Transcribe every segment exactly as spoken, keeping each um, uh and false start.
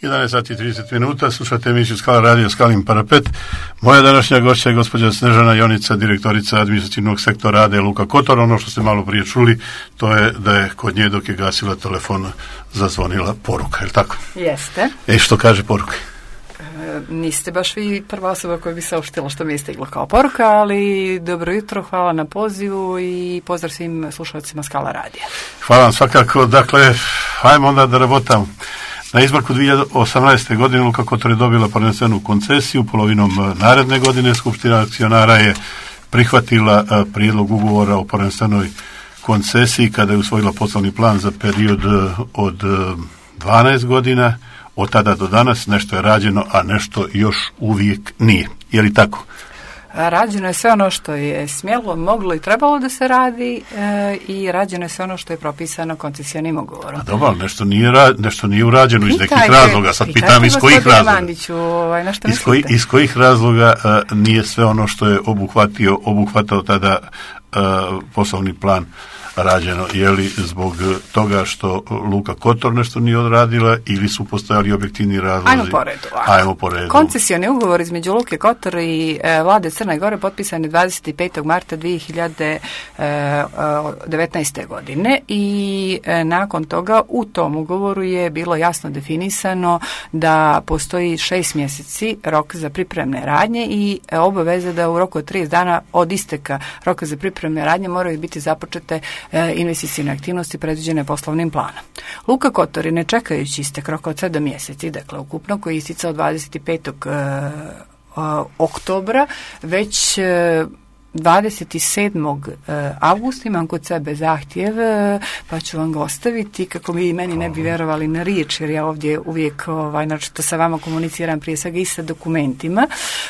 jedanaest sati i trideset minuta, slušate emisiju Skala radio Skalin parapet. Moja današnja gošća je gospođa Snežana Jonica, direktorica administrativnog sektora A D Luka Kotor. Ono što ste malo prije čuli, to je da je kod nje dok je gasila telefon zazvonila poruka, je li tako? Jeste. E, što kaže poruka? E, niste baš vi prva osoba koja bi saopštila što mi je stiglo kao poruka, ali dobro jutro, hvala na pozivu i pozdrav svim slušalcima Skala radija. Hvala vam svakako. Dakle, ajmo onda da rabotamo. Na izmaku dvije hiljade osamnaeste. godine Luka Kotor je dobila prvenstvenu koncesiju, polovinom naredne godine Skupština akcionara je prihvatila prijedlog ugovora o prvenstvenoj koncesiji kada je usvojila poslovni plan za period od dvanaest godina. Od tada do danas nešto je rađeno, a nešto još uvijek nije. Je li tako? Rađeno je sve ono što je smjelo, moglo i trebalo da se radi e, i rađeno je sve ono što je propisano koncesionim ugovorom. A dobro, nešto nije, ra, nešto nije urađeno iz nekih razloga. Sad pitam iz kojih razloga. Mandiću, ovaj, na što iz, koji, iz kojih razloga a, nije sve ono što je obuhvatio, obuhvatao tada a, poslovni plan rađeno? Je li zbog toga što Luka Kotor nešto nije odradila ili su postojali objektivni razlozi? Ajmo po redu. Ajmo po redu. Koncesioni ugovor između Luke Kotor i e, vlade Crne Gore potpisan je dvadeset petog marta dvije hiljade devetnaeste. godine i e, nakon toga u tom ugovoru je bilo jasno definisano da postoji šest mjeseci rok za pripremne radnje i e, obaveza da u roku od trideset dana od isteka roka za pripremne radnje moraju biti započete investicijne aktivnosti predviđene poslovnim planom. Luka Kotor je, ne čekajući istek roka od sedam mjeseci, dakle ukupno, koji je isticao dvadeset petog oktobra, već dvadeset sedmog avgusta imam kod sebe zahtjev, pa ću vam ga ostaviti kako vi meni ne bi vjerovali na riječ, jer ja ovdje uvijek ovaj, naročito sa vama komuniciram prije svega i sa dokumentima.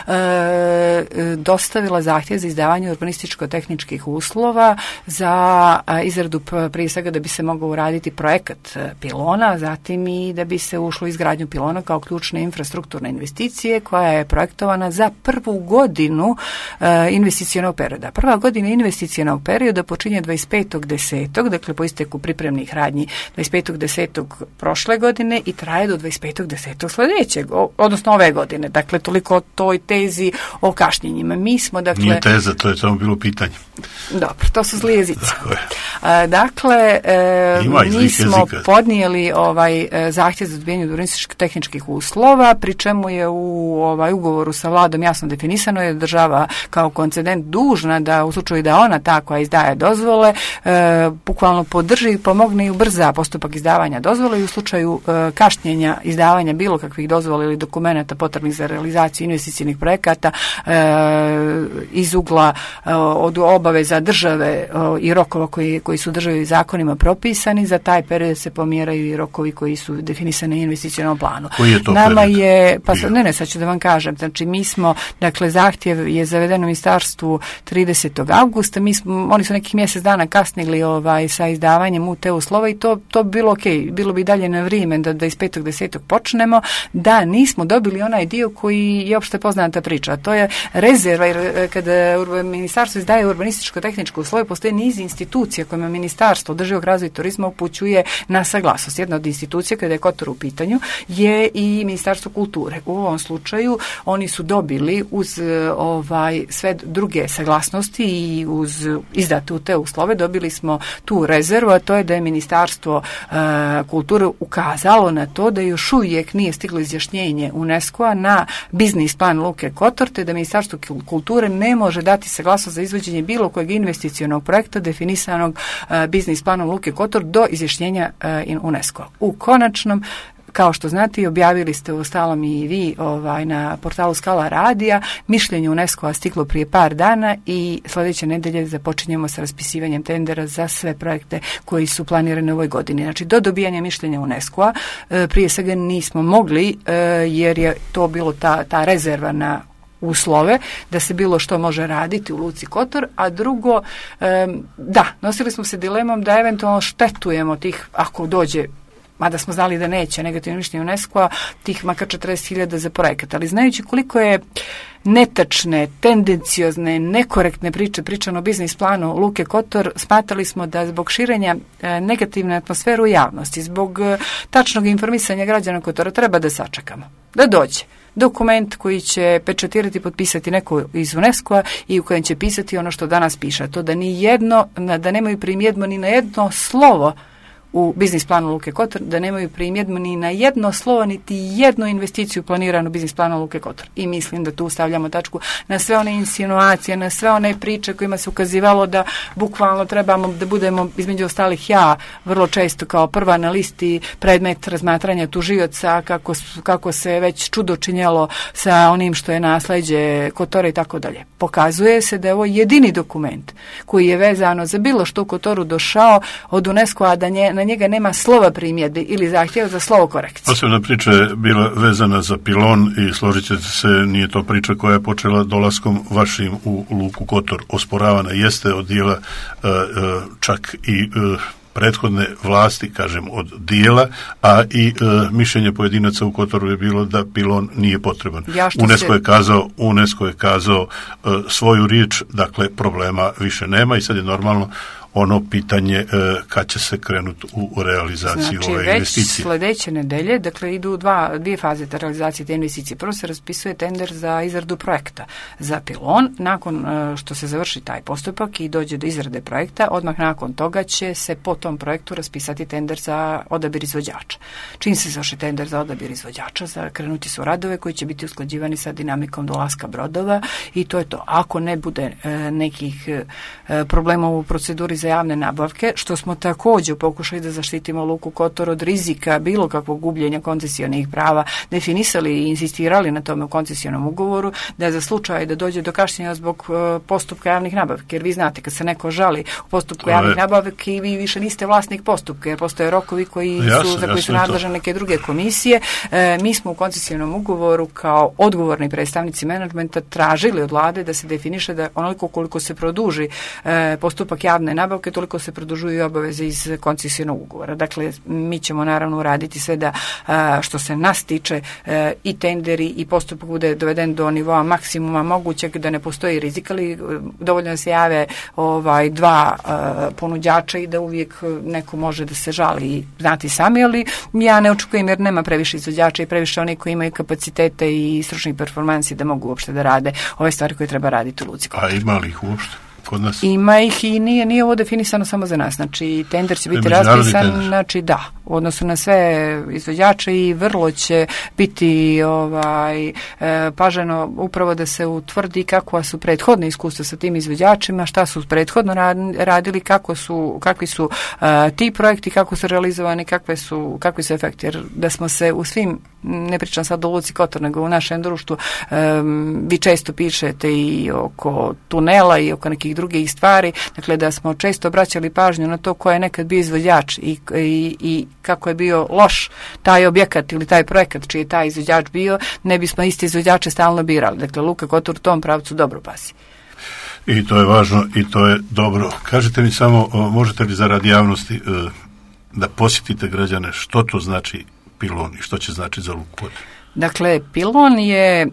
E, dostavila zahtjev za izdavanje urbanističko-tehničkih uslova za izradu prije svega da bi se mogao uraditi projekat pilona, zatim i da bi se ušlo u izgradnju pilona kao ključne infrastrukturne investicije koja je projektovana za prvu godinu e, investicionog perioda. Prva godina investicionog perioda počinje dvadeset petog desetog dakle po isteku pripremnih radnji dvadeset petog desetog prošle godine i traje do dvadeset petog desetog sljedećeg, odnosno ove godine. Dakle, toliko o toj tezi o kašnjenjima. Mi smo, dakle... Nije teza, to je samo bilo pitanje. Dobro, to su zli jezici. Dakle, e, mi smo jezika. podnijeli ovaj zahtjev za odbijanje urbanističkih tehničkih uslova, pri čemu je u ovaj ugovoru sa vladom jasno definisano je država kao koncedent dužna da u slučaju da ona ta koja izdaje dozvole e, bukvalno podrži i pomogne i ubrza postupak izdavanja dozvole i u slučaju e, kašnjenja izdavanja bilo kakvih dozvola ili dokumenata potrebnih za realizaciju investicijnih projekata e, iz ugla e, od obaveza države e, i rokova koji, koji su državi zakonima propisani, za taj period se pomjeraju i rokovi koji su definisani u investicionom planu. Koji je to Nama period? je, pa ne, ne, sad ću da vam kažem, znači mi smo, dakle, zahtjev je zaveden u ministarstvu tridesetog avgusta, mi smo, oni su nekih mjesec dana kasnili ovaj, sa izdavanjem u te uslova i to, to bi bilo ok, bilo bi dalje na vrijeme da dvadeset petog desetog počnemo, da nismo dobili onaj dio koji je opšte poznata priča, a to je rezerva, jer kada ministarstvo izdaje urbanističko-tehničko uslove, postoje niz institucija kojima ministarstvo održivog razvoja i turizma upućuje na saglasnost. Jedna od institucija, kada je Kotor u pitanju, je i Ministarstvo kulture. U ovom slučaju oni su dobili uz ovaj, sve druge saglasnosti i uz izdatu te uslove dobili smo tu rezervu, a to je da je Ministarstvo e, kulture ukazalo na to da još uvijek nije stiglo izjašnjenje UNESCO-a na biznis plan Luke Kotor, te da Ministarstvo kulture ne može dati saglasnost za izvođenje bilo kojeg investicionog projekta definisanog e, biznis planom Luke Kotor do izjašnjenja e, UNESCO-a. U konačnom, kao što znate, objavili ste u stalom i vi ovaj, na portalu Skala radija, mišljenje UNESCO-a stiglo prije par dana i sljedeće nedelje započinjemo sa raspisivanjem tendera za sve projekte koji su planirani u ovoj godini. Znači, do dobijanja mišljenja UNESCO-a prije svega nismo mogli, jer je to bilo ta, ta rezerva na uslove da se bilo što može raditi u Luci Kotor, a drugo, da, nosili smo se dilemom da eventualno štetujemo tih, ako dođe mada smo znali da neće negativno mišljenje UNESCO-a, tih makar četrdeset hiljada za projekat. Ali znajući koliko je netačne, tendenciozne, nekorektne priče pričano o biznis planu Luke Kotor, smatrali smo da zbog širenja e, negativne atmosfere u javnosti, zbog e, tačnog informisanja građana Kotora treba da sačekamo, da dođe dokument koji će pečatirati i potpisati neko iz UNESCO-a i u kojem će pisati ono što danas piše, to da ni jedno, da nemaju primjedbu ni na jedno slovo u biznis planu Luke Kotor, da nemaju primjedbu ni na jedno slovo, niti jednu investiciju planiranu u biznis planu Luke Kotor. I mislim da tu stavljamo tačku na sve one insinuacije, na sve one priče kojima se ukazivalo da bukvalno trebamo da budemo, između ostalih ja, vrlo često kao prva na listi predmet razmatranja tužioca, kako, kako se već čudo činjelo sa onim što je nasleđe Kotora i tako dalje. Pokazuje se da je ovo jedini dokument koji je vezano za bilo što u Kotoru došao od UNESCO-a, da nje, na njega nema slova primjedbi ili zahtjeva za slovo korekcije. Posebna priča je bila vezana za pilon i složit ćete se, nije to priča koja je počela dolaskom vašim u Luku Kotor. Osporavana jeste od dijela čak i prethodne vlasti, kažem, od dijela, a i e, mišljenje pojedinaca u Kotoru je bilo da pilon nije potreban. Ja UNESCO se... je kazao, UNESCO je kazao e, svoju riječ, dakle problema više nema i sad je normalno ono pitanje e, kad će se krenuti u realizaciju znači, ove investicije. Znači već sljedeće nedelje, dakle idu dva, dvije faze te realizacije te investicije. Prvo se raspisuje tender za izradu projekta za pilon. Nakon e, što se završi taj postupak i dođe do izrade projekta, odmah nakon toga će se po tom projektu raspisati tender za odabir izvođača. Čim se završi tender za odabir izvođača, za krenuti su radove koji će biti usklađivani sa dinamikom dolaska brodova i to je to. Ako ne bude e, nekih e, problema u proceduri za javne nabavke, što smo također pokušali da zaštitimo Luku Kotor od rizika bilo kakvog gubljenja koncesijonih prava, definisali i insistirali na tome u koncesijnom ugovoru, da za slučaj da dođe do kašnjenja zbog uh, postupka javnih nabavke, jer vi znate kad se neko žali u postupku javnih nabavke i vi više niste vlasnik postupka, jer postoje rokovi koji jasne, su, za koji su nadležne neke druge komisije. E, mi smo u koncesijnom ugovoru kao odgovorni predstavnici menadžmenta tražili od vlade da se definiše da onoliko koliko se produži e, postupak javne nabavke, toliko se produžuju obaveze iz koncesijnog ugovora. Dakle, mi ćemo naravno uraditi sve da što se nas tiče i tenderi i postupak bude doveden do nivoa maksimuma mogućeg, da ne postoji rizik, ali dovoljno da se jave ovaj, dva ponuđača i da uvijek neko može da se žali i znati sami, ali ja ne očekujem jer nema previše izvođača i previše oni koji imaju kapacitete i stručnih performansi da mogu uopšte da rade ove stvari koje treba raditi u Luci Kotor. A ima li ih uopšte? Kod nas? Ima ih i nije, nije ovo definisano samo za nas. Znači, tender će biti raspisan, znači da, u odnosu na sve izvođače i vrlo će biti ovaj, e, paženo upravo da se utvrdi kakva su prethodne iskustva sa tim izvođačima, šta su prethodno radili, kako su, kakvi su a, ti projekti, kako su realizovani, kakve su, kakvi su efekti. Jer da smo se u svim, ne pričam sad o Luci Kotor, nego u našem društvu, um, vi često pišete i oko tunela i oko nekih drugih stvari, dakle da smo često obraćali pažnju na to ko je nekad bio izvođač i, i, i kako je bio loš taj objekat ili taj projekat čiji je taj izvođač bio, ne bismo isti izvođače stalno birali. Dakle, Luka Kotor u tom pravcu dobro pasi. I to je važno i to je dobro. Kažete mi samo, možete li zaradi javnosti da posjetite građane što to znači pilon i što će znači za Luku Kotor? Dakle, pilon je e,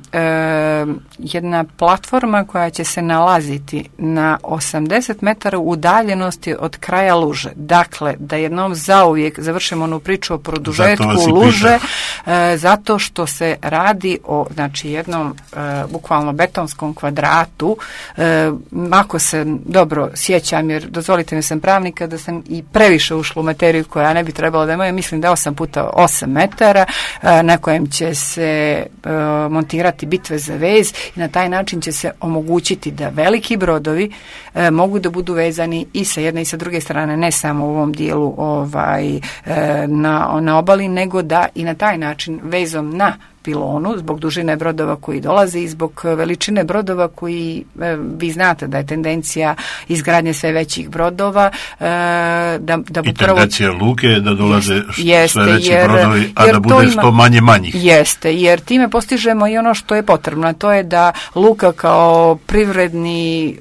jedna platforma koja će se nalaziti na osamdeset metara udaljenosti od kraja luže. Dakle, da jednom zauvijek završimo onu priču o produžetku luže, e, zato što se radi o znači, jednom e, bukvalno betonskom kvadratu. E, ako se dobro sjećam, jer dozvolite mi sam pravnika, da sam i previše ušla u materiju koja ne bi trebala da imaju, mislim da je osam puta osam metara, e, na kojem će se se e, montirati bitve za vez i na taj način će se omogućiti da veliki brodovi e, mogu da budu vezani i sa jedne i sa druge strane, ne samo u ovom dijelu ovaj, e, na, na obali, nego da i na taj način vezom na Pilonu, zbog dužine brodova koji dolaze i zbog veličine brodova koji, vi znate da je tendencija izgradnje sve većih brodova. Da, da I tendencija prvo, luke da dolaze jeste, sve veći jer, brodovi, a jer da bude što manje manjih. Jeste, jer time postižemo i ono što je potrebno, a to je da luka kao privredni e,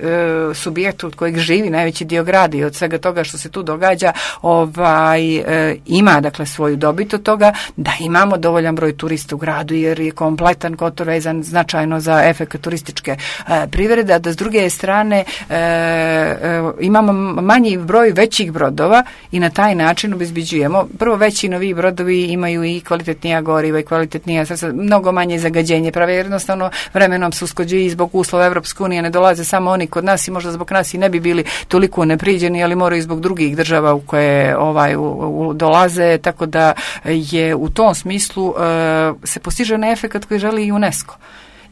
subjekt od kojeg živi najveći dio grada i od svega toga što se tu događa, ovaj, e, ima dakle svoju dobit od toga, da imamo dovoljan broj turista u gradu, jer je kompletan Kotor vezan značajno za efekt turističke e, privrede, a da s druge strane e, e, imamo manji broj većih brodova i na taj način obezbeđujemo. Prvo, veći novi brodovi imaju i kvalitetnija goriva i kvalitetnija sredstva, mnogo manje zagađenje, prave jednostavno vremenom se usklađuju i zbog uslova Evropske unije, ne dolaze samo oni kod nas i možda zbog nas i ne bi bili toliko nepriđeni, ali moraju zbog drugih država u koje ovaj, u, u, dolaze, tako da je u tom smislu uh, se postiže onaj efekt koji želi i UNESCO.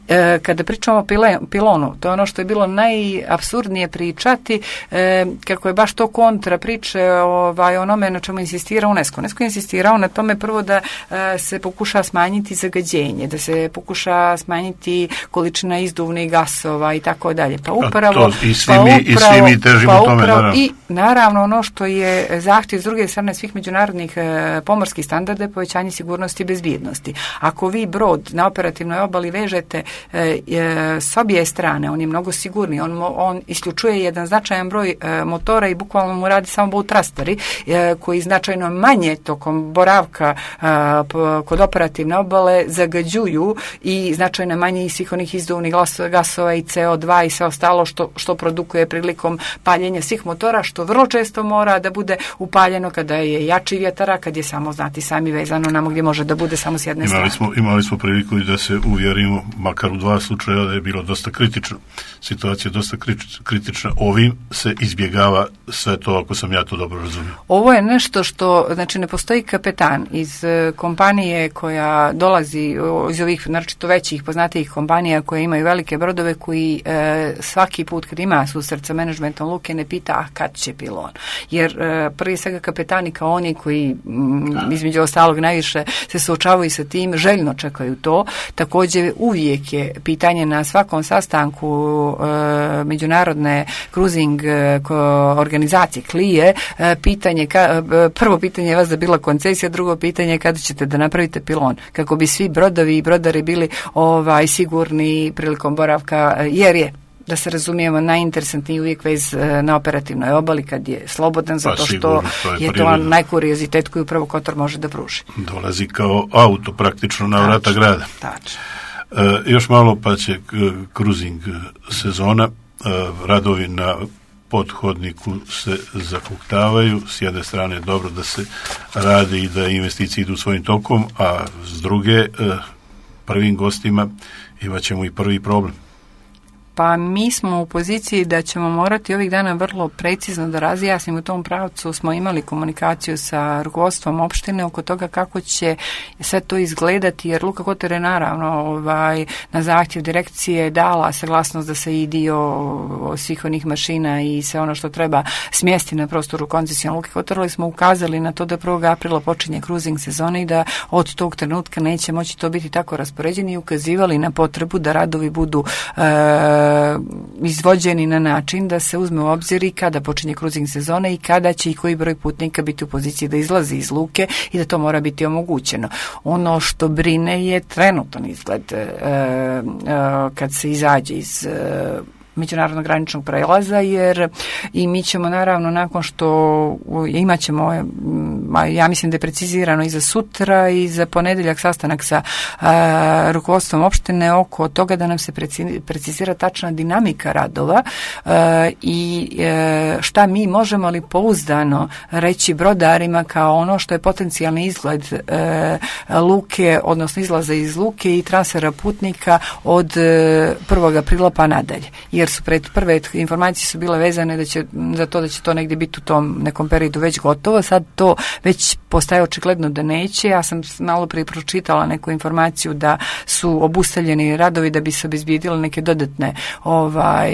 E, kada pričamo o pile, pilonu, to je ono što je bilo najapsurdnije pričati, e, kako je baš to kontra priče ovaj, onome na čemu insistira UNESCO. UNESCO je insistirao na tome prvo da e, se pokuša smanjiti zagađenje, da se pokuša smanjiti količina izduvnih gasova i tako dalje. Pa upravo, to, i svi pa mi, upravo, i svi mi težimo pa tome. Upravo, naravno. I naravno ono što je zahtjev s druge strane svih međunarodnih e, pomorskih standarda je povećanje sigurnosti i bezbjednosti. Ako vi brod na operativnoj obali vežete E, e, s obje strane, on je mnogo sigurniji, on, on isključuje jedan značajan broj e, motora i bukvalno mu radi samo boat thrusteri e, koji značajno manje tokom boravka e, p, kod operativne obale zagađuju i značajno manje i svih onih izduvnih gasova i C O dva i sve ostalo što, što produkuje prilikom paljenja svih motora, što vrlo često mora da bude upaljeno kada je jači vjetara, kad je samo, znati sami, vezano namo gdje može da bude samo s jedne imali strane. Smo, imali smo priliku i da se uvjerimo, makar u dva slučaja, da je bilo dosta kritično. Situacija je dosta kritična. Ovim se izbjegava sve to, ako sam ja to dobro razumio. Ovo je nešto što, znači, ne postoji kapetan iz uh, kompanije koja dolazi iz ovih, naročito većih, poznatijih kompanija koje imaju velike brodove, koji uh, svaki put kad ima susret sa menadžmentom luke ne pita, a kad će pilon. Jer uh, prije svega kapetani kao oni koji mm, između ostalog najviše se suočavaju sa tim, željno čekaju to. Također uvijek je pitanje na svakom sastanku e, međunarodne cruising e, organizacije Klije, e, pitanje, ka, e, prvo pitanje je vas da bila koncesija, drugo pitanje je kada ćete da napravite pilon, kako bi svi brodovi i brodari bili ovaj sigurni prilikom boravka, jer je, da se razumijemo, najinteresantniji uvijek vez na operativnoj obali kad je slobodan, zato pa, sigurno, što to je, je to najkuriozitet koji upravo Kotor može da pruži. Dolazi kao auto praktično na vrata grada. Tačno. E, još malo pa će cruising sezona, e, radovi na pothodniku se zahuktavaju, s jedne strane je dobro da se radi i da investicije idu svojim tokom, a s druge e, prvim gostima imat ćemo i prvi problem. Pa mi smo u poziciji da ćemo morati ovih dana vrlo precizno da razjasnimo. U tom pravcu smo imali komunikaciju sa rukovodstvom opštine oko toga kako će sve to izgledati, jer Luka Kotor je naravno ovaj, na zahtjev direkcije dala saglasnost da se i dio svih onih mašina i sve ono što treba smjesti na prostoru koncesije Luke Kotor, ali smo ukazali na to da prvog aprila počinje cruising sezona i da od tog trenutka neće moći to biti tako raspoređeni i ukazivali na potrebu da radovi budu e, izvođeni na način da se uzme u obzir i kada počinje cruising sezona i kada će i koji broj putnika biti u poziciji da izlazi iz luke i da to mora biti omogućeno. Ono što brine je trenutan izgled e, e, kad se izađe iz e, međunarodnog graničnog prelaza, jer i mi ćemo naravno nakon što imat ćemo, ja mislim da je precizirano i za sutra i za ponedjeljak sastanak sa a, rukovodstvom opštine oko toga da nam se precizira tačna dinamika radova a, i a, šta mi možemo li pouzdano reći brodarima kao ono što je potencijalni izgled a, luke, odnosno izlaza iz luke i transfera putnika od prvog aprila pa nadalje. Jer su pred prve informacije su bile vezane da će, za to da će to negdje biti u tom nekom periodu već gotovo. Sad to već postaje očigledno da neće. Ja sam malo prije pročitala neku informaciju da su obustavljeni radovi da bi se obezbijedile neke dodatne ovaj,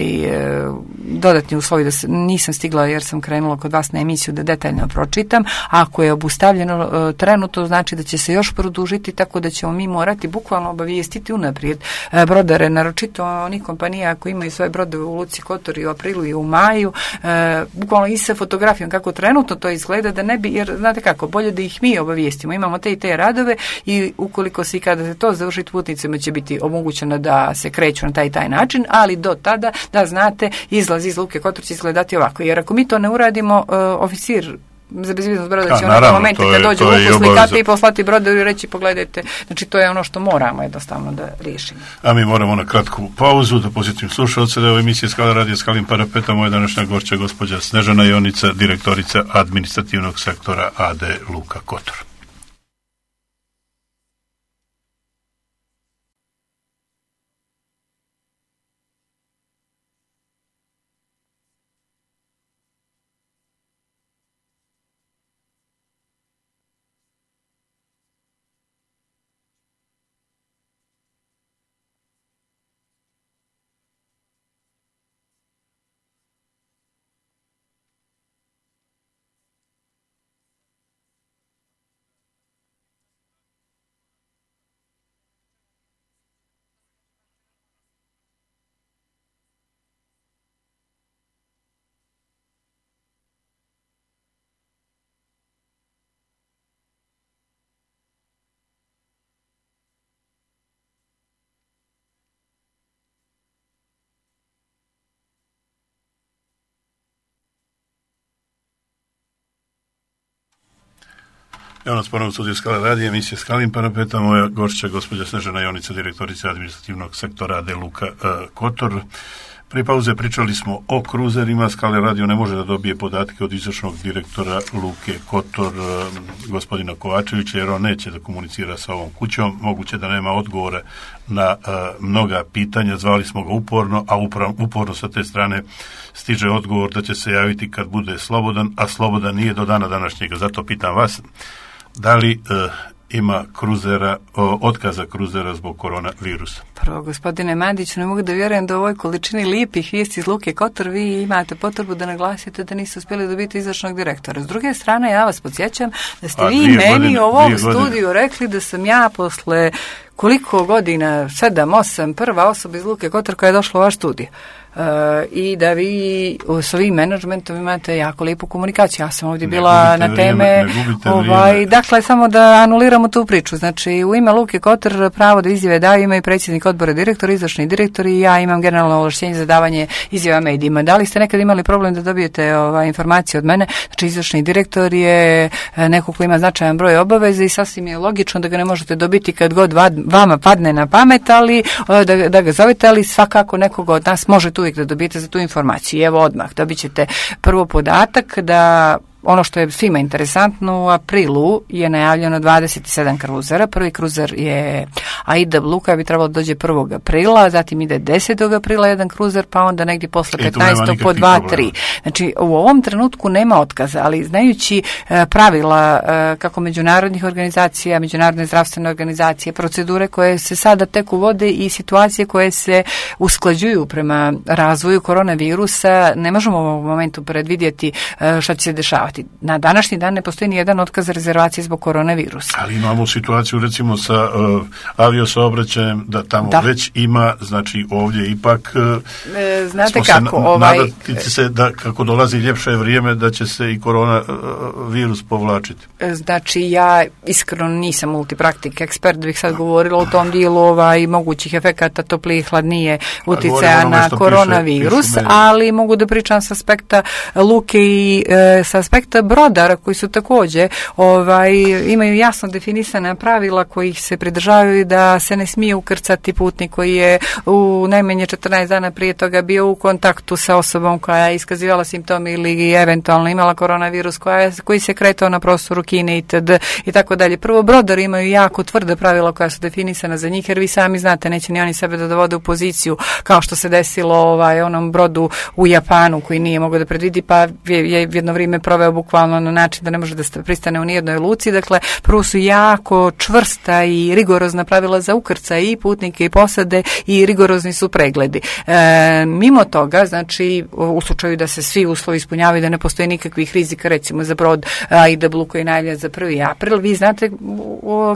dodatni uslovi, da se, nisam stigla jer sam krenula kod vas na emisiju da detaljno pročitam. Ako je obustavljeno trenutno, znači da će se još produžiti, tako da ćemo mi morati bukvalno obavijestiti unaprijed brodare, naročito onih kompanija koji imaju svoje brodove u Luci Kotor i u aprilu i u maju, bukvalno i sa fotografijom kako trenutno to izgleda, da ne bi, jer znate kako, bolje da ih mi obavijestimo. Imamo te i te radove i ukoliko se i kada se to završi, putnicima će biti omogućeno da se kreću na taj i taj način, ali do tada da znate izlaz iz Luke Kotor će izgledati ovako. Jer ako mi to ne uradimo, uh, oficir za bezbjednost broda će u nekom momentu kad dođe u luku slikati i poslati brodovi i reći pogledajte, znači to je ono što moramo jednostavno da riješimo. A mi moramo na kratku pauzu da posjetim slušalce da je u emisiji Skala radija Skalin Parapeta moja današnja gošća gospođa Snežana Jonica, direktorica administrativnog sektora A D Luka Kotor. Evo nas ponovno u studiju Skala radija, emisija Skalin Parapeta, moja gošća gospođa Snežana Jonica, direktorica administrativnog sektora A D Luka uh, Kotor. Prije pauze pričali smo o kruzerima. Skala radio ne može da dobije podatke od izvršnog direktora Luke Kotor, uh, gospodina Kovačevića, jer on neće da komunicira sa ovom kućom. Moguće da nema odgovore na uh, mnoga pitanja. Zvali smo ga uporno, a upravo, uporno sa te strane stiže odgovor da će se javiti kad bude slobodan, a slobodan nije do dana današnjega. Zato pitam vas, da li uh, ima kruzera, o, otkaza kruzera zbog koronavirusa? Prvo, gospodine Mandić, ne mogu da vjerujem da u ovoj količini lijepih vijesti iz Luke Kotor vi imate potrebu da naglasite da niste uspjeli dobiti izvršnog direktora. S druge strane, ja vas podsjećam da ste A, vi meni godine, u ovom studiju rekli da sam ja posle koliko godina, sedam, osam, prva osoba iz Luke Kotor koja je došla u vaš studij. Uh, i da vi s ovim menadžmentom imate jako lijepu komunikaciju. Ja sam ovdje ne bila na teme ovaj, dakle, samo da anuliramo tu priču. Znači, u ime Luke Kotor pravo da izjave daju imaju predsjednik odbora direktor, izvršni direktor i ja imam generalno ovlaštenje za davanje izjava medijima. Da li ste nekad imali problem da dobijete ovaj, informacije od mene? Znači, izvršni direktor je neko ko ima značajan broj obaveza i sasvim je logično da ga ne možete dobiti kad god vama padne na pamet, ali da, da ga zovete, ali svakako nekoga od nas može tu da dobijete za tu informaciju. I evo odmah dobit ćete prvo podatak da ono što je svima interesantno, u aprilu je najavljeno dvadeset sedam kruzera. Prvi kruzer je Aida Blue koja bi trebalo dođe prvog aprila, zatim ide desetog aprila jedan kruzer, pa onda negdje posle petnaestog po dva tri. Znači, u ovom trenutku nema otkaza, ali znajući e, pravila e, kako međunarodnih organizacija, međunarodne zdravstvene organizacije, procedure koje se sada tek uvode i situacije koje se usklađuju prema razvoju koronavirusa, ne možemo u ovom momentu predvidjeti e, šta će se dešavati. Na današnji dan ne postoji ni jedan otkaz rezervacije zbog koronavirusa. Ali imamo situaciju recimo sa uh, aviosaobraćajem da tamo da. već ima, znači ovdje ipak uh, e, znate kako, ovaj nadati se da kako dolazi ljepše vrijeme da će se i koronavirus povlačiti. Znači ja iskreno nisam multipraktik ekspert, bih sad govorila o tom dijelu ovaj mogućih efekata toplije i hladnije uticaja na koronavirus, piše, piše ali mogu da pričam s aspekta luke i e, s aspekta brodara koji su također ovaj, imaju jasno definisana pravila kojih se pridržavaju da se ne smije ukrcati putnik koji je u najmanje četrnaest dana prije toga bio u kontaktu sa osobom koja je iskazivala simptome ili eventualno imala koronavirus koja je, koji se kretao na prostoru Kine itd. i tako dalje. Prvo, brodari imaju jako tvrde pravila koja su definisana za njih jer vi sami znate, neće ni oni sebe da dovode u poziciju kao što se desilo ovaj, onom brodu u Japanu koji nije mogao da predvidi pa je jedno vrijeme proveo doveo bukvalno na način da ne može da pristane u nijednoj luci. Dakle, prvo su jako čvrsta i rigorozna pravila za ukrcaj i putnike i posade i rigorozni su pregledi. E, mimo toga, znači, u slučaju da se svi uslovi ispunjavaju, da ne postoji nikakvih rizika, recimo za brod Aida Blue koji je najavljen za prvi april, vi znate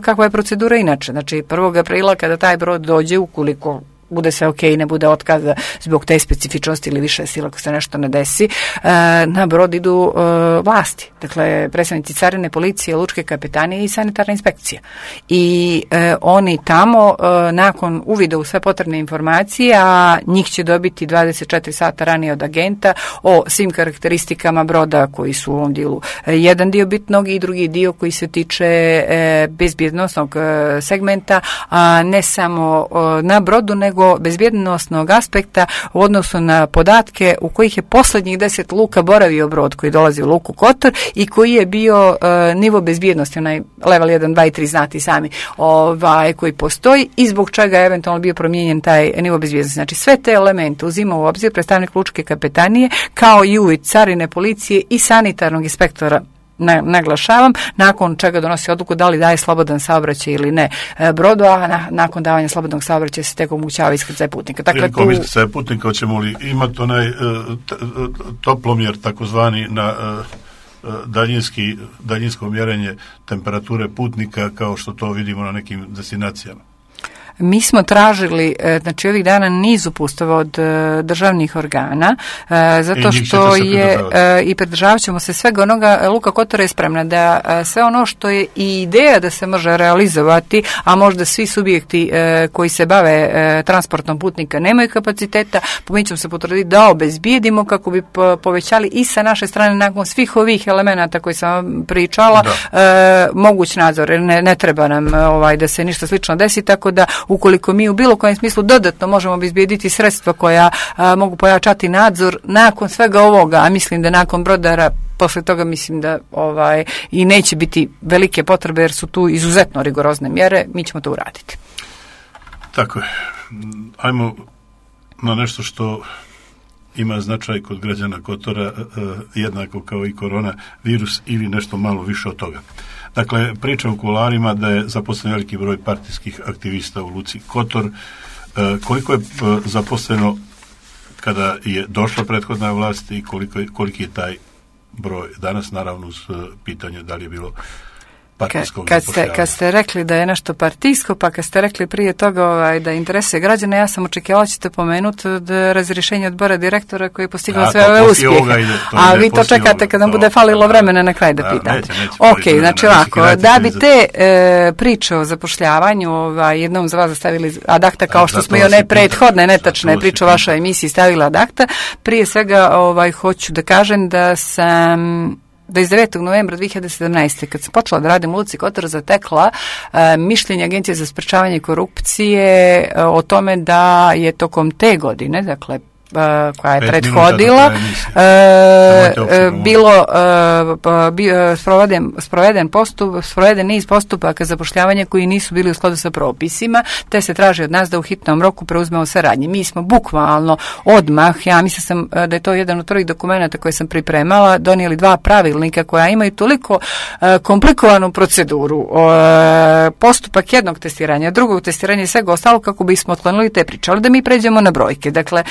kakva je procedura inače. Znači, prvog aprila kada taj brod dođe, ukoliko bude sve ok, ne bude otkaza zbog te specifičnosti ili više sila ako se nešto ne desi, na brod idu vlasti. Dakle, predstavnici carine, policije, lučke kapetanije i sanitarna inspekcija. I oni tamo, nakon uvida u sve potrebne informacije, a njih će dobiti dvadeset četiri sata ranije od agenta o svim karakteristikama broda koji su u ovom dijelu jedan dio bitnog i drugi dio koji se tiče bezbjednosnog segmenta, a ne samo na brodu, nego bezbjednosnog aspekta u odnosu na podatke u kojih je posljednjih deset luka boravio brod koji dolazi u luku Kotor i koji je bio uh, nivo bezbjednosti, onaj level jedan, dva i tri, znati sami, ovaj, koji postoji i zbog čega je eventualno bio promijenjen taj nivo bezbjednosti. Znači, sve te elemente uzima u obzir predstavnik lučke kapetanije, kao i uvid carine, policije i sanitarnog inspektora, Na, naglašavam, nakon čega donosi odluku da li daje slobodan saobraćaj ili ne brodu, a na, nakon davanja slobodnog saobraćaja se tek omogućava iskrcaj putnika. Dakle, prilikom tu... iskrcaja putnika hoćemo li imati onaj uh, t, toplomjer takozvani na uh, daljinski, daljinsko mjerenje temperature putnika kao što to vidimo na nekim destinacijama? Mi smo tražili, znači ovih dana niz uputstava od državnih organa, zato što je i pridržavat ćemo se svega onoga. Luka Kotor je spremna da sve ono što je i ideja da se može realizovati, a možda svi subjekti koji se bave transportom putnika nemaju kapaciteta, mi ćemo se potruditi da obezbijedimo kako bi povećali i sa naše strane nakon svih ovih elemenata koji sam vam pričala da. moguć nadzor. Ne, ne treba nam ovaj, da se ništa slično desi, tako da ukoliko mi u bilo kojem smislu dodatno možemo obezbijediti sredstva koja a, mogu pojačati nadzor nakon svega ovoga, a mislim da nakon brodara posle toga mislim da ovaj i neće biti velike potrebe jer su tu izuzetno rigorozne mjere, mi ćemo to uraditi. Tako je. Ajmo na nešto što ima značaj kod građana Kotora, eh, jednako kao i korona virus ili nešto malo više od toga. Dakle, priča u kuloarima da je zaposlen veliki broj partijskih aktivista u luci Kotor. E, koliko je e, zaposleno kada je došla prethodna vlast i koliko je, koliki je taj broj danas, naravno uz pitanje da li je bilo partijskog kad ste, kad ste rekli da je nešto partijsko, pa kad ste rekli prije toga ovaj, da interesuje građane, ja sam očekivala ćete pomenuti da razrješenje odbora direktora koji je postigao sve ove uspjehe. Ide, a vi to čekate kada nam bude falilo vremena na kraj da, da pitate. Neće, neće ok, znači ovako, da bi te e, priče o zapošljavanju ovaj, jednom za vas stavili ad acta, kao što smo i one prethodne netačne priče o vašoj emisiji stavili ad acta, prije svega ovaj, hoću da kažem da sam dvadeset devetog novembra dvije hiljade sedamnaeste. kad sam počela da radim u luci Kotor, zatekla e, mišljenje Agencije za sprečavanje korupcije e, o tome da je tokom te godine, dakle koja je prethodila, e, bilo e, bio sproveden, sproveden, postup, sproveden niz postupaka zapošljavanja koji nisu bili u skladu sa propisima, te se traži od nas da u hitnom roku preuzmemo saradnje. Mi smo bukvalno odmah, ja mislim sam da je to jedan od prvih dokumenta koje sam pripremala, donijeli dva pravilnika koja imaju toliko e, komplikovanu proceduru. E, postupak jednog testiranja, drugog testiranja i svega ostalo kako bismo otklonili te priče. Ali da mi pređemo na brojke. Dakle,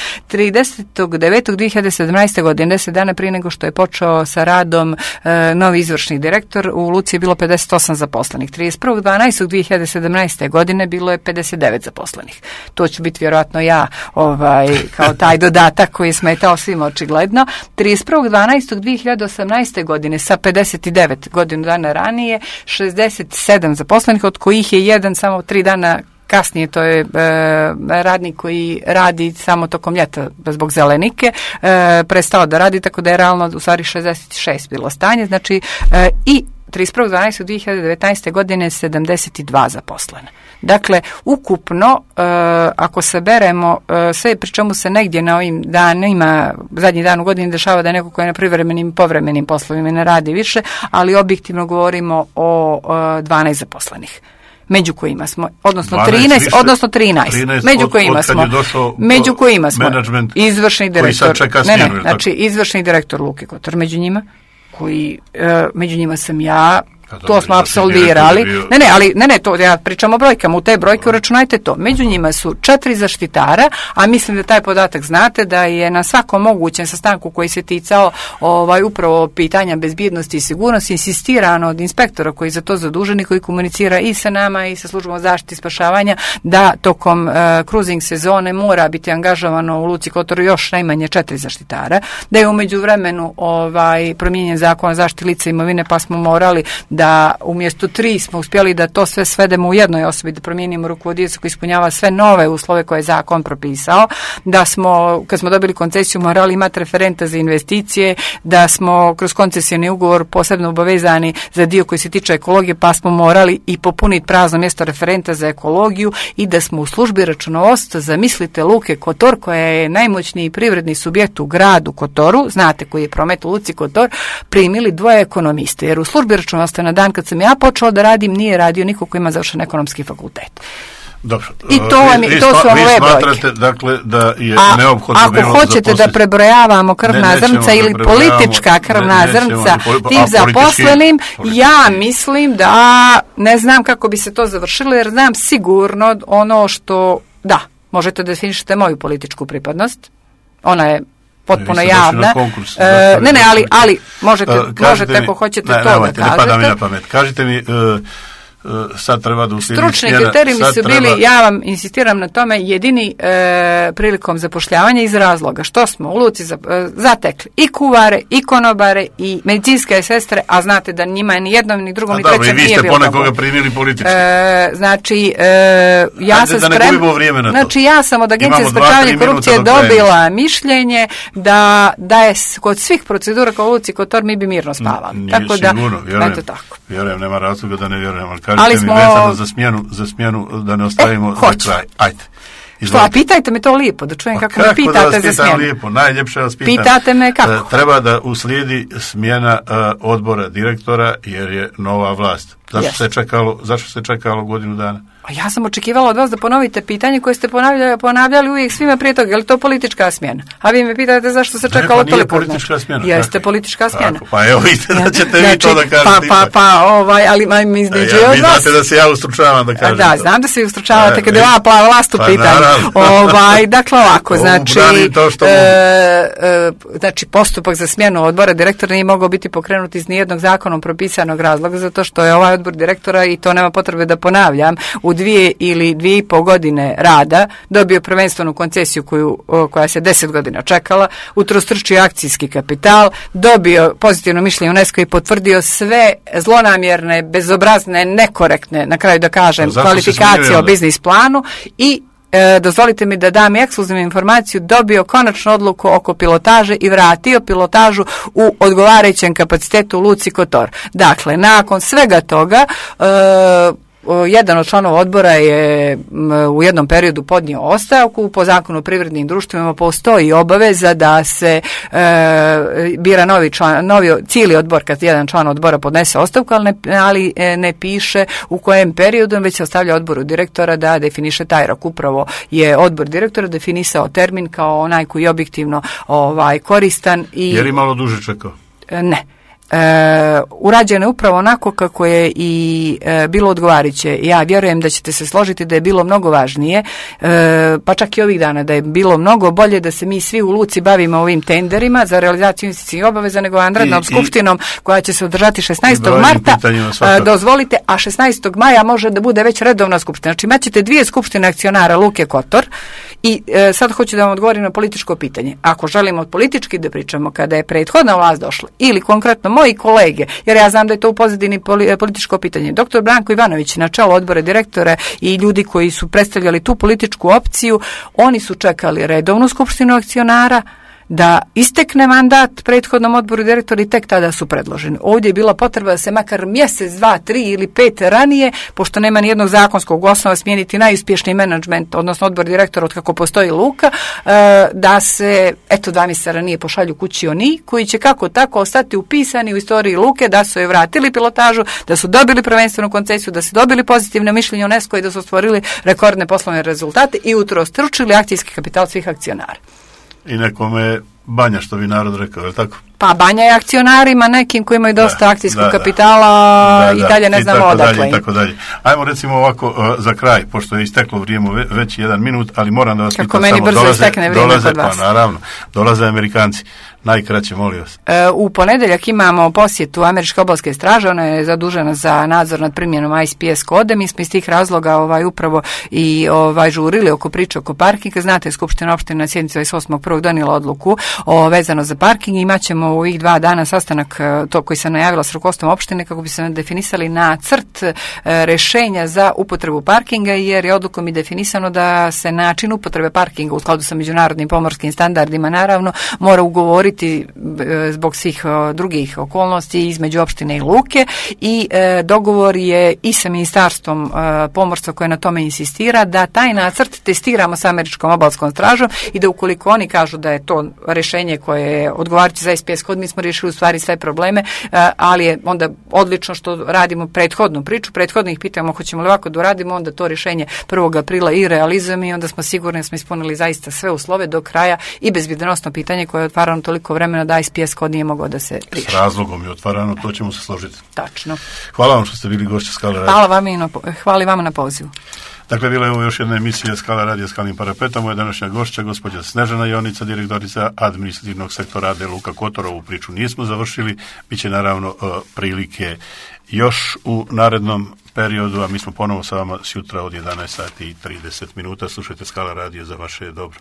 tridesetog devetog dvije hiljade sedamnaeste. godine, deset dana prije nego što je počeo sa radom e, novi izvršni direktor, u luci je bilo pedeset osam zaposlenih. trideset prvog dvanaestog dvije hiljade sedamnaeste. godine bilo je pedeset devet zaposlenih. To će biti vjerojatno ja, ovaj, kao taj dodatak koji je smetao svima očigledno. trideset prvog dvanaestog dvije hiljade osamnaeste. godine sa pedeset devet godinu dana ranije, šezdeset sedam zaposlenih, od kojih je jedan samo tri dana kasnije, to je e, radnik koji radi samo tokom ljeta zbog zelenike, e, prestao da radi, tako da je realno u stvari šezdeset šest bilo stanje, znači e, i trideset prvog dvanaestog dvije hiljade devetnaeste. godine sedamdeset dva zaposlena. Dakle, ukupno, e, ako saberemo e, sve, pri čemu se negdje na ovim danima, zadnji dan u godini dešava da je neko koji je na privremenim i povremenim poslovima ne radi više, ali objektivno govorimo o e, dvanaest zaposlenih. Među kojima smo, odnosno trinaest, više, odnosno trinaest, trinaest među od, kojima od smo, među kojima smo izvršni direktor, ne, ne, znači izvršni direktor Luke Kotor, među njima, koji, e, među njima sam ja, dobro, to smo ja apsolvirali. bio... Ne, ne, ali ne, ne, to ja pričam o brojkama, u te brojke uračunajte to. Među njima su četiri zaštitara, a mislim da taj podatak znate da je na svakom mogućem sastanku koji se ticao ovaj upravo pitanja bezbjednosti i sigurnosti insistirano od inspektora koji za to zaduženi, koji komunicira i sa nama i sa službom zaštite i spašavanja, da tokom uh, cruising sezone mora biti angažovano u Luci Kotor još najmanje četiri zaštitara, da je u međuvremenu ovaj promijenjen zakon o zaštiti lica i imovine, pa smo morali da umjesto tri smo uspjeli da to sve svedemo u jednoj osobi, da promijenimo rukovodioca koji ispunjava sve nove uslove koje je zakon propisao, da smo, kad smo dobili koncesiju, morali imati referenta za investicije, da smo kroz koncesijni ugovor posebno obavezani za dio koji se tiče ekologije, pa smo morali i popuniti prazno mjesto referenta za ekologiju i da smo u službi računovodstva, zamislite Luke Kotor, koja je najmoćniji privredni subjekt u gradu Kotoru, znate koji je promet u Luci Kotor, primili dvoje ekonomiste, jer u službi računovodstva na dan kad sam ja počela da radim nije radio niko ko ima završen ekonomski fakultet. Dobro. I to, vam, vi, to su vam ove brojke. Vi smatrate, dakle, da je A, neophodno ako bilo hoćete zaposliti... da prebrojavamo krvna ne, zrnca ili da politička krvna ne, zrnca poli, tim a, zaposlenim, politički, ja mislim da ne znam kako bi se to završilo, jer znam sigurno ono što, da, možete da definišete moju političku pripadnost, ona je potpuno javna. Konkurs, e, ne, ne, ali, ali možete, uh, možete ako hoćete ne, to ne, da ne, kažete. Ne mi na pamet. Kažite mi, uh, uh, sad treba da uslijedi stručni smjena, kriteriji mi su treba... bili, ja vam insistiram na tome, jedini e, prilikom zapošljavanja iz razloga što smo u Luci za, e, zatekli i kuvare, i konobare, i medicinske sestre, a znate da njima ni jednom, ni drugom, ni trećem nije bilo. A dobro, i vi ste ponekoga primili politički. E, znači, e, ja Hajde sam da sprem... ne gubimo vrijeme na to. Znači, ja sam od Agencije za sprečavanje korupcije dobila mišljenje da, da je kod svih procedura kao u Luci Kotor mi bi mirno spavali. Nije tako da, sigurno, vjerujem, eto tako. Vjerujem, nema razloga da ne vjerujem, ali kažete ali mi smo... vezano za smjenu, za smjenu da ne ostavimo e, za kraj. Ajde. Što, a pitajte me to lijepo, da čujem kako, kako me pitate da za smjenu. Lijepo, najljepše vas pitam. Pitate me kako? Uh, treba da uslijedi smjena uh, odbora direktora jer je nova vlast. Zašto yes. se čekalo, zašto se čekalo godinu dana? A ja sam očekivala od vas da ponovite pitanje koje ste ponavljali, ponavljali uvijek svima prije toga. Je li to politička smjena? A vi me pitate zašto se čekalo ne, pa toliko. Politička smjena. Jeste tako. Politička smjena. Tako, pa evo vidite da ćete znači, vi to da kažete. Pa, pa, pa, ovaj, ali ma, mi izneđe ja, od vi vas. znate da se ja ustručavam da kažem. Da, to. znam da se ustručavate kada je ova plava vlast u pa, pitanju. Ovaj, dakle, ovako, znači, to e, e, znači, postupak za smjenu odbora direktora nije mogao biti pokrenut iz nijednog zakonom propisanog razloga, zato što je ovaj odbor direktora, i to nema potrebe da ponavljam, u dvije ili dvije i pol godine rada dobio prvenstvenu koncesiju koju, koja se deset godina čekala, utrostručio akcijski kapital, dobio pozitivno mišljenje UNESCO i potvrdio sve zlonamjerne, bezobrazne, nekorektne, na kraju da kažem, kvalifikacije o biznis planu i E, dozvolite mi da dam ekskluzivnu informaciju, dobio konačnu odluku oko pilotaže i vratio pilotažu u odgovarajućem kapacitetu u Luci Kotor. Dakle, nakon svega toga e, jedan od članova odbora je u jednom periodu podnio ostavku. Po zakonu o privrednim društvima postoji obaveza da se e, bira novi član, novi cijeli odbor kad jedan član odbora podnese ostavku, ali ne, ali ne piše u kojem periodu, već se ostavlja odboru direktora da definiše taj rok. Upravo je odbor direktora definisao termin kao onaj koji je objektivno ovaj, koristan. I, jer je malo duže čekao? Ne. E, urađeno je upravo onako kako je i e, bilo odgovarajuće. Ja vjerujem da ćete se složiti da je bilo mnogo važnije, e, pa čak i ovih dana, da je bilo mnogo bolje da se mi svi u Luci bavimo ovim tenderima za realizaciju investicijskih obaveza nego vanrednom skupštinom koja će se održati šesnaestog marta. E, dozvolite, a šesnaestog maja može da bude već redovna skupština. Znači imaćete dvije skupštine akcionara Luke Kotor i e, sad hoću da vam odgovorim na političko pitanje. Ako želimo politički da pričamo, kada je prethodna vlast došla ili konkretno moji kolege, jer ja znam da je to u pozadini političko pitanje. Doktor Branko Ivanović na čelu odbora direktora i ljudi koji su predstavljali tu političku opciju, oni su čekali redovnu skupštinu akcionara da istekne mandat prethodnom odboru direktora i tek tada su predloženi. Ovdje je bila potreba da se makar mjesec, dva, tri ili pet ranije, pošto nema nijednog zakonskog osnova smijeniti najuspješniji menadžment, odnosno odbor direktora od kako postoji Luka, da se, eto, dva mjeseca ranije pošalju kući oni koji će kako tako ostati upisani u istoriji Luke, da su je vratili pilotažu, da su dobili prvenstvenu koncesiju, da su dobili pozitivne mišljenje UNESCO i da su stvorili rekordne poslovne rezultate i utrostručili akcijski kapital svih akcionara. I nekome banja, što bi narod rekao, je li tako? Pa Banja je akcionarima nekim koji imaju dosta da, akcijskog da, kapitala da, i da, dalje ne znamo odakle. I tako dalje. Ajmo recimo ovako uh, za kraj, pošto je isteklo vrijeme već jedan minut, ali moram da vas Kako pitam meni samo, brzo dolaze, istekne vrijeme dolaze, kod vas. Pa naravno, dolaze Amerikanci. Najkraće, molim vas. E, u ponedeljak imamo posjetu Američke obalske straže, ona je zadužena za nadzor nad primjenom I S P S kode. Mi smo iz tih razloga ovaj, upravo i ovaj, žurili oko priče oko parkinga. Znate, Skupština opštine na sjednici dvadeset osmog prvog donijela odluku o, vezano za parking. Imaćemo u ovih dva dana sastanak to koji se najavila s rukovodstvom opštine kako bi se definisali nacrt e, rešenja za upotrebu parkinga, jer je odlukom i definisano da se način upotrebe parkinga u skladu sa međunarodnim pomorskim standardima naravno mora ugovoriti zbog svih drugih okolnosti između opštine i luke i e, dogovor je i sa ministarstvom e, pomorstva koje na tome insistira da taj nacrt testiramo sa Američkom obalskom stražom i da ukoliko oni kažu da je to rešenje koje je odgovarajuće za I S P S kod, mi smo riješili u stvari sve probleme, e, ali je onda odlično što radimo prethodnu priču, prethodno ih pitamo hoćemo li ovako da uradimo, onda to rešenje prvog aprila i realizujemo i onda smo sigurni da smo ispunili zaista sve uslove do kraja i bezbjednosno pitanje koje je otvarano toliko vremena da I S P S kod nije mogao da se riješi. S razlogom je otvarano, to ćemo se složiti. Tačno. Hvala vam što ste bili gošće Skala radija. Hvala vam i na, hvala vama na pozivu. Dakle, bila je ovo još jedna emisija Skala radija Skalnim parapetom. Moja današnja gošća, gospođa Snežana Jonica, direktorica administrativnog sektora A D Luka Kotor. Ovu priču nismo završili. Biće naravno prilike još u narednom periodu, a mi smo ponovo sa vama sjutra od jedanaest sati i trideset minuta. Slušajte Skala radija za vaše dobro.